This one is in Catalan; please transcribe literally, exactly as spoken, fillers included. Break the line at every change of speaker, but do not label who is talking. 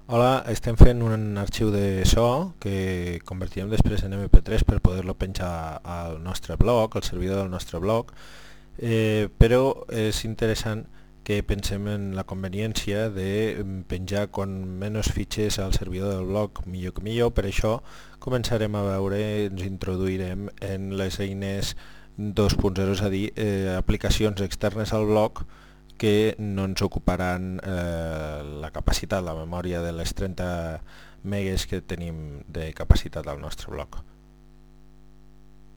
Hola, estem fent un arxiu de so que convertirem després en eme pe tres per poder-lo penjar al nostre blog, al servidor del nostre blog, eh, però és interessant que pensem en la conveniència de penjar con menys fitxers al servidor del blog millor que millor. Per això començarem a veure, ens introduirem en les eines dos punt zero, és a dir, eh, aplicacions externes al blog que no ens ocuparan eh, la capacitat, la memòria de les trenta megues que tenim de capacitat al nostre blog.